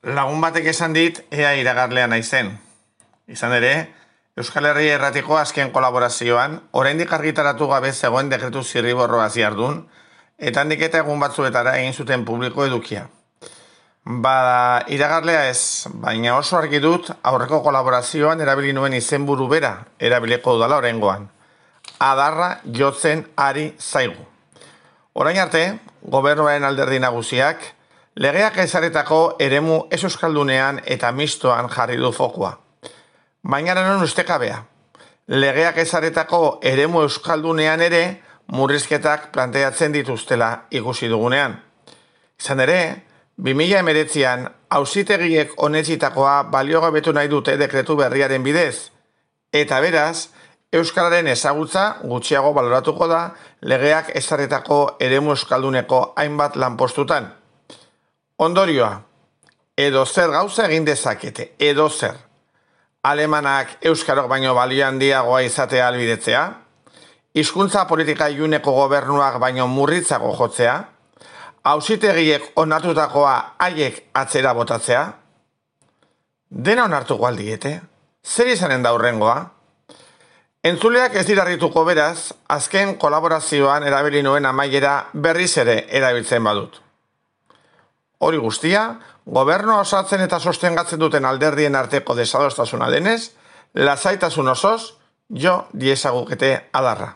Lagun batek esan dit ea iragarlea naizen. Izan ere, Euskal Herria Irratiko azken kolaborazioan, oraindik argitaratu gabe zegoen dekretu zirriborroa ziardun, eta handik eta egun batzuetara egin zuten publiko edukia. Bada, iragarlea ez, baina oso argi dut aurreko kolaborazioan erabili nuen izenburu bera erabiliko dudala oraingoan. Adarra jotzen ari zaigu. Orain arte, gobernuaren alderdi nagusiak, legeak ezaretako eremu ez euskaldunean eta mistoan jarri du fokua. Baina non ustekabea. Legeak ezaretako eremu euskaldunean ere murrizketak planteatzen dituztela ikusi dugunean. Izan ere, 2019an auzitegiek onetsitakoa baliogabetu nahi dute dekretu berriaren bidez, eta beraz, euskararen ezagutza gutxiago baloratuko da legeak ezaretako eremu euskalduneko hainbat lanpostutan. Ondorioa, edo zer gauza egin dezakete, edo zer. Alemanak euskarok baino balio handiagoa izatea albidetzea, hizkuntza politika iluneko gobernuak baino murritzago jotzea, auzitegiek onartutakoa haiek atzera botatzea, dena onartuko aldiete, zer izanen da hurrengoa? Entzuleak ez dira harrituko beraz, azken kolaborazioan erabili nuen amaiera berriz ere erabiltzen badut. Hori guztia, gobernua osatzen eta sostengatzen duten alderdien arteko desadostasuna denez, lasaitasun osoz, jo diezagukete adarra.